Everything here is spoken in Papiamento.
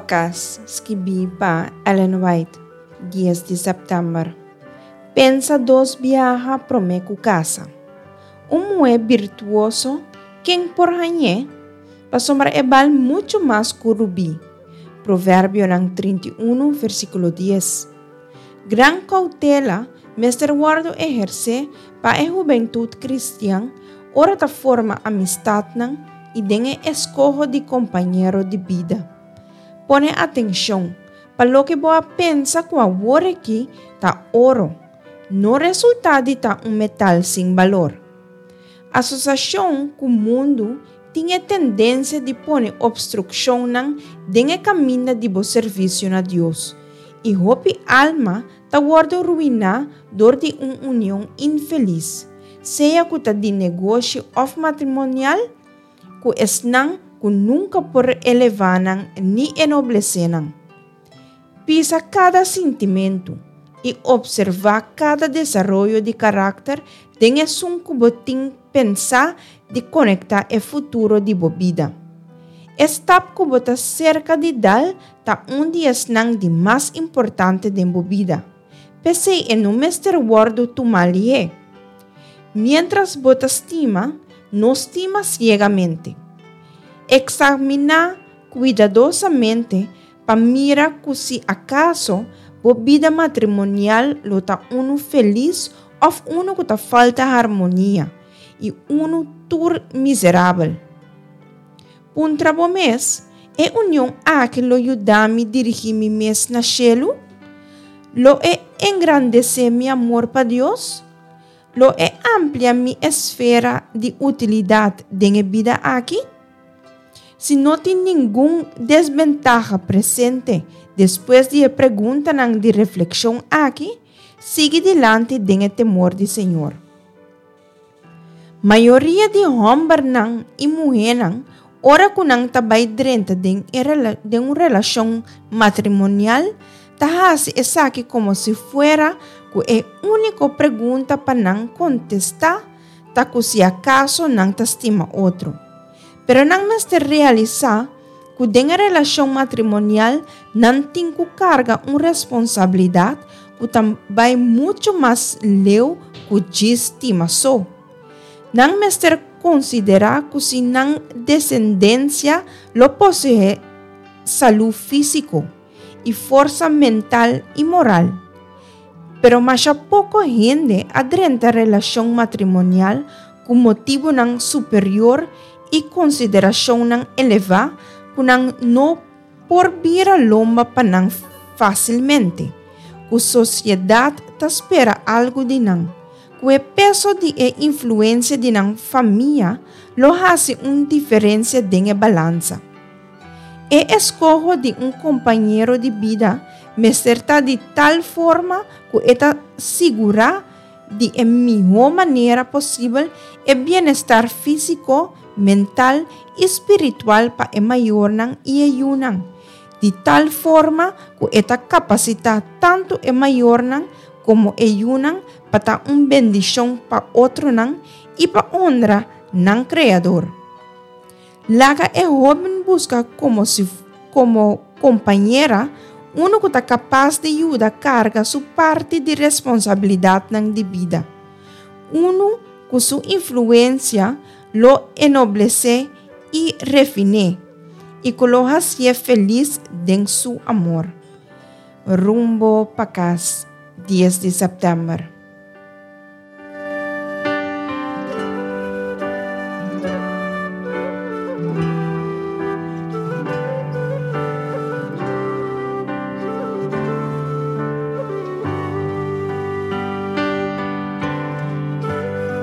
pa Cas, skibí pa Ellen White, dies di sèptèmber. Pensa dos biaha promé ku kasa. Un muhé birtuoso, ken por hañ'é? Pasobra e bal muchu mas ku rubí. Proverbionan 31, versíkulo 10. Gran koutela mester wòrdu ehersé pa e hubentut kristian ora ta forma amistatnan i den e eskoho di kompañero di bida. Pone atenshon pa loke bo a pensa ku awor aki ta oro, no resultá di ta un metal sin balor. Asosiashon ku mundu tin e tendensia di pone opstrukshonnan den e kaminda di bo servisio na Dios, i hopi alma ta wòrdu ruiná dor di un union infelis, sea ku ta di negoshi òf matrimonial, ku esnan ku nunka por elevá nan ni enoblesé nan. Pisa kada sintimentu i opservá kada desaroyo di karakter den esun ku bo tin pensá di konektá e futuro di bo bida. E stap ku bo ta serka di dal ta un di esnan di mas importante den bo bida. P'esei e no mester wòrdu tumá lihé. Miéntras bo ta stima, no stima siegamente. Eksaminá kuidadosamente pa mira ku si akaso bo bida matrimonial lo ta unu felis òf unu ku ta falta harmonia i unu tur miserabel. Puntra bo mes, E union aki lo yuda mi dirigí mi mes na shelu? Lo e engrandesé mi amor pa Dios? Lo e amplia mi esfera di utilidat den e bida aki? Si no tin ningun desbentaha presente despues di e preguntanan di reflekshon aki, sigui dilanti den e temor di Señor. Mayoria di hòmbernan i muhénan ora ku nan ta bai drenta den e den un relashon matrimonial ta hasi esaki komo si fuera ku e úniko pregunta pa nan kontestá ta ku si akaso nan ta stima otro. Pero nan mester realisá ku den e relashon matrimonial nan tin ku karga un responsabilidat ku ta bai muchu mas leu ku djis stima so. Nan mester konsiderá ku si nan desendensia lo poseé salú físiko i forsa mental i moral. Pero masha poko hende a drenta relashon matrimonial ku motibunan superior i konsiderashonnan elevá ku nan no por bira lomba pa nan fásilmente, ku sosiedat ta spera algu di nan, ku e peso di e influensia di nan famia lo hasi un diferensia den e balansa. E eskoho di un kompañero di bida mester ta di tal forma ku e ta sigurá di e mihó manera posibel e bienestar físiko, mental i spiritual pa e mayornan i e yunan, di tal forma ku e ta kapasitá tantu e mayornan komo e yunan pa ta un bendishon pa otronan i pa honra nan Kreador. Laga e hóben buska komo si komo kompañera unu ku ta kapas di yuda karga su parti di responsabilidatnan di bida, unu ku su influensia lo enoblesé i refin'é i ku lo hasié felis den su amor. Rumbo pa kas, dies di sèptèmber.